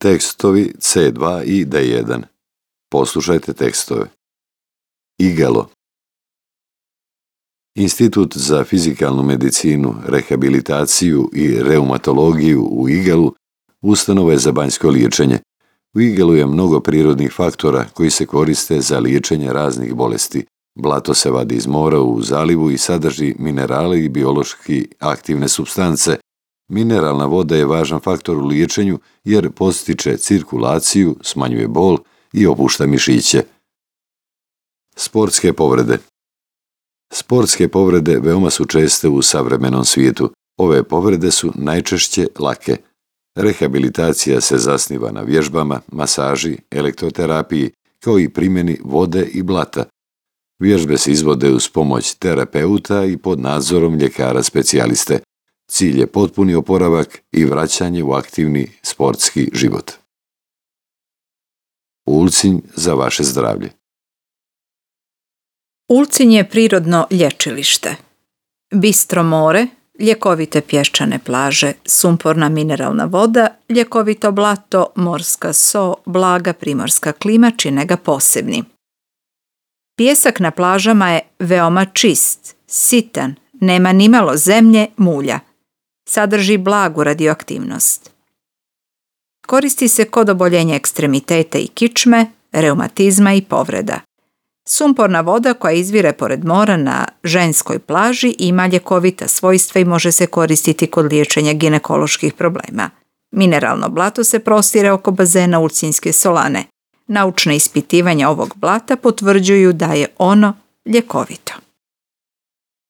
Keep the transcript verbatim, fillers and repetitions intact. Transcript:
Tekstovi C dva i D jedan. Poslušajte tekstove. Igalo. Institut za fizikalnu medicinu, rehabilitaciju i reumatologiju u Igalu ustanova je za banjsko liječenje. U Igalu je mnogo prirodnih faktora koji se koriste za liječenje raznih bolesti. Blato se vadi iz mora u zalivu i sadrži minerale i biološki aktivne supstance. Mineralna voda je važan faktor u liječenju jer podstiče cirkulaciju, smanjuje bol i opušta mišiće. Sportske povrede. Sportske povrede veoma su česte u savremenom svijetu. Ove povrede su najčešće lake. Rehabilitacija se zasniva na vježbama, masaži, elektroterapiji, kao i primjeni vode i blata. Vježbe se izvode uz pomoć terapeuta i pod nadzorom ljekara specijaliste. Cilj je potpuni oporavak i vraćanje u aktivni sportski život. Ulcinj za vaše zdravlje. Ulcinj je prirodno lječilište. Bistro more, ljekovite pješčane plaže, sumporna mineralna voda, ljekovito blato, morska so, blaga primorska klima čine ga posebnim. Pijesak na plažama je veoma čist, sitan, nema nimalo zemlje, mulja. Sadrži blagu radioaktivnost. Koristi se kod oboljenja ekstremiteta i kičme, reumatizma i povreda. Sumporna voda koja izvire pored mora na ženskoj plaži ima ljekovita svojstva i može se koristiti kod liječenja ginekoloških problema. Mineralno blato se prostire oko bazena Ulcinjske solane. Naučna ispitivanja ovog blata potvrđuju da je ono ljekovito.